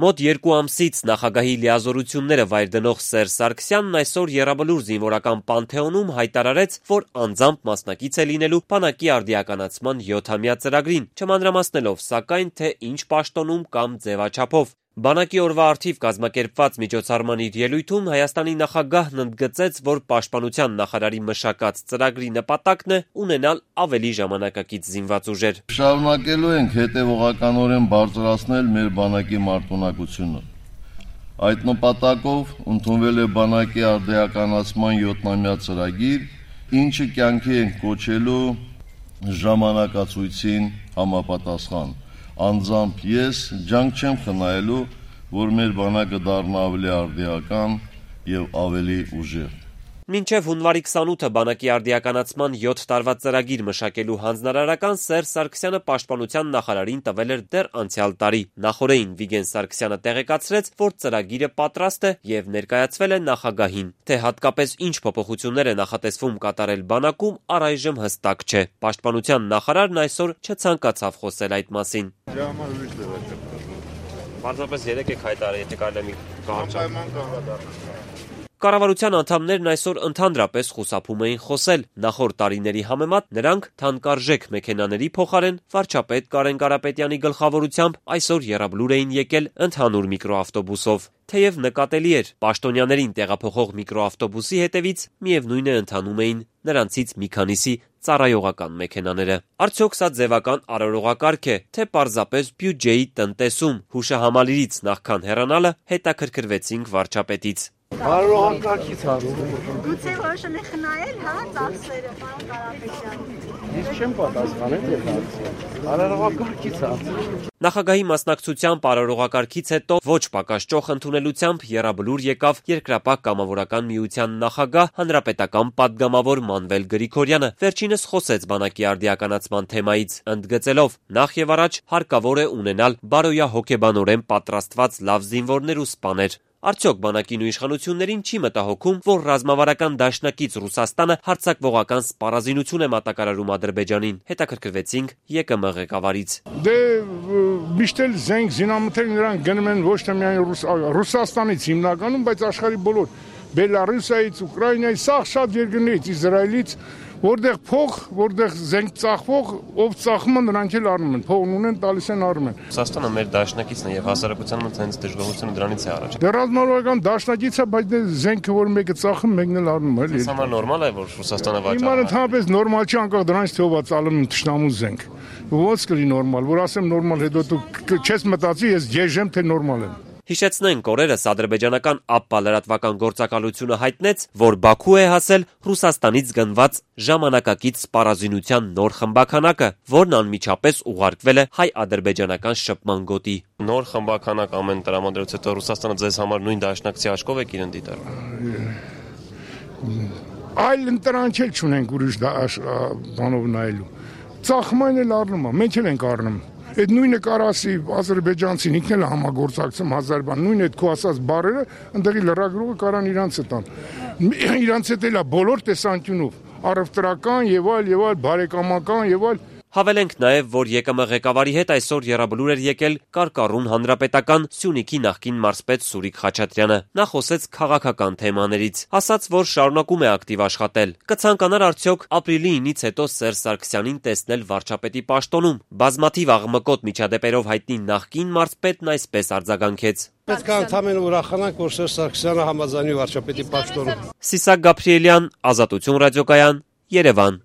Մոտ 2 ամսից նախագահի լիազորությունները վայր դնող Սերժ Սարգսյանն այսօր Եռաբլուր զինվորական պանթեոնում հայտարարեց, որ անձամբ մասնակից է լինելու բանակի արդիականացման 7-ամյա ծրագրին, չմանրամասնելով սակայն, թե ինչ պաշտոնում կամ ձևաչափով։ Բանակի օրվա առթիվ կազմակերպված միջոցառման իր ելույթում Հայաստանի նախագահն ընդգծեց, որ պաշտպանության նախարարի մշակած ծրագրի նպատակն է ունենալ ավելի ժամանակակից զինված ուժեր։ Շարունակելու ենք հետևողականորեն բարձրացնել մեր բանակի մարտունակությունը։ Այդ նպատակով ընդունվել է բանակի արդիականացման 7-ամյա ծրագիր, ինչը կյանքի ենք կոչելու ժամանակացույցին համապատասխան։ Անձամբ ես ջանք չեմ խնայելու, որ մեր բանակը դառնա ավելի արդիական եւ ավելի ուժեղ։ Մինչև հունվարի 28-ը բանակի արդիականացման 7 տարվա ծրագիր մշակելու հանձնարարական Սերժ Սարգսյանը պաշտպանության նախարարին տվել էր դեռ անցյալ տարի։ Նախորդին Վիգեն Սարգսյանը տեղեկացրեց, որ ծրագիրը պատրաստ է եւ ներկայացվել է նախագահին։ Թե հատկապես ինչ փոփոխություններ է նախատեսվում կատարել բանակում, առայժմ հստակ չէ։ Պաշտպանության նախարարն այսօր չցանկացավ խոսել այդ մասին։ Պարզապես երեք եք հայտարարել, եթե կարելի է մի կարճ Կառավարության անդամներն այսօր ընդհանրապես խուսափում էին խոսել։ Նախորդ տարիների համեմատ նրանք թանկարժեք մեքենաների փոխարեն վարչապետ Կարեն Կարապետյանի գլխավորությամբ այսօր Եռաբլուր էին եկել ընդհանուր միկրոավտոբուսով։ Թեև նկատելի էր, պաշտոնյաներին տեղափոխող միկրոավտոբուսի հետևից միևնույն է ընթանում էին նրանցից մի քանիսի ծառայողական մեքենաները։ Արդյոք սա ձևական արարողակարգ է, թե պարզապես բյուջեի տնտեսում։ Հուշահամալիրից նախքան հեռանալը հետաքրքրվեցինք վարչապետից։ Արարողակարգից հարում։ Գուցե որոշել եք խնայել, հա, ծախսերը, պարոն Կարապետյան։ Ես չեմ պատասխանել դե հարցը։ Արարողակարգից հարցը։ Նախագահի մասնակցությամբ արարողակարգից հետո ոչ պակաս ճոխ ընդունելությամբ Եռաբլուր եկավ Երկրապահ կամավորական միության նախագահ հանրապետական պատգամավոր Մանվել Գրիգորյանը։ Վերջինս խոսեց բանակի արդիականացման թեմայից, ընդգծելով. նախ եւ առաջ հարկավոր է ունենալ բարոյահոգեբանորեն պատրաստված լավ զինվորներ ու սպաներ։ Արդյոք բանակին ու իշխանություններին չի մտահոգում, որ ռազմավարական դաշնակից Ռուսաստանը հարձակվողական սպառազինություն է մատակարարում Ադրբեջանին։ Հետաքրքրվեցինք ԵԿՄ ղեկավարից։ Դե միշտ էլ զենք զինամթերք նրանք գնում են ոչ թե միայն Ռուսաստանից հիմնականում, բայց աշխարհի բոլոր Բելարուսիայից, Ուկրաինայից, սաղ շատ երկրներից, Իսրայելից, որտեղ փող, որտեղ զենք ծախվող, ով ծախում են նրանք էլ առնում են, փողն ունեն, տալիս են առնում են։ Ռուսաստանը մեր դաշնակիցն է եւ հասարակության մոտ հենց դժգոհությունը դրանից է առաջ։ Դե ռազմավարական դաշնակից է, բայց դե զենքը որ մեկը ծախում, մեկն էլ առնում է, էլի։ Սա նորմալ է, որ Ռուսաստանը վաճառում։ Հիմա ընդհանրապես նորմալ չի, անկախ դրանից թե ով է ծալում թշնամու զենք։ Ոնց կլինի նորմալ, որ ասեմ նորմալ, հետո դու չես մտածի, ես եժեմ թե նորմալ եմ։ Հիշեցնենք, օրերս ադրբեջանական ԱՊՊԱ լրատվական գործակալությունը հայտնեց, որ Բաքու է հասել Ռուսաստանից գնված ժամանակակից սպառազինության նոր խմբաքանակը, որն անմիջապես ուղարկվել է հայ-ադրբեջանական շփման գոտի։ Նոր խմբաքանակ ամեն տրամադրությունից հետո Ռուսաստանը ձեզ համար նույն դաշնակցի աշխով է իրեն դիտարկում։ Այլ ընտրանք էլ չունենք ուրիշ բանով նայելու։ Ծախման էլ առնում է, մենք էլ ենք առնում։ Այդ նույնը կարասի ադրբեջանցին ինքն էլ համագործակցում 1000 բան, նույն այդ քո ասած բառերը, ընդդեղի լրագրողը կարան իրանց տան։ Իրանց հետ էլ է բոլոր տեսանկյունով, առևտրական եւ այլ, բարեկամական եւ այլ։ Հավելենք նաև, որ ԵԿՄ ղեկավարի հետ այսօր Եռաբլուր էր եկել Կարկառուն հանրապետական Սյունիքի նախկին մարզպետ Սուրիկ Խաչատրյանը։ Նա խոսեց քաղաքական թեմաներից, ասաց, որ շարունակում է ակտիվ աշխատել։ Կցանկանար արդյոք ապրիլի 9-ից հետո Սերժ Սարգսյանին տեսնել վարչապետի պաշտոնում։ Բազմաթիվ աղմկոտ միջադեպերով հայտնի նախկին մարզպետն այսպես արձագանքեց. Պետք է ընդհանրապես ուրախանանք, որ Սերժ Սարգսյանը համաձայնի վարչապետի պաշտոնում։ Սիսակ Գաբրիելյան, Ազատություն ռադիոկայան, Երևան։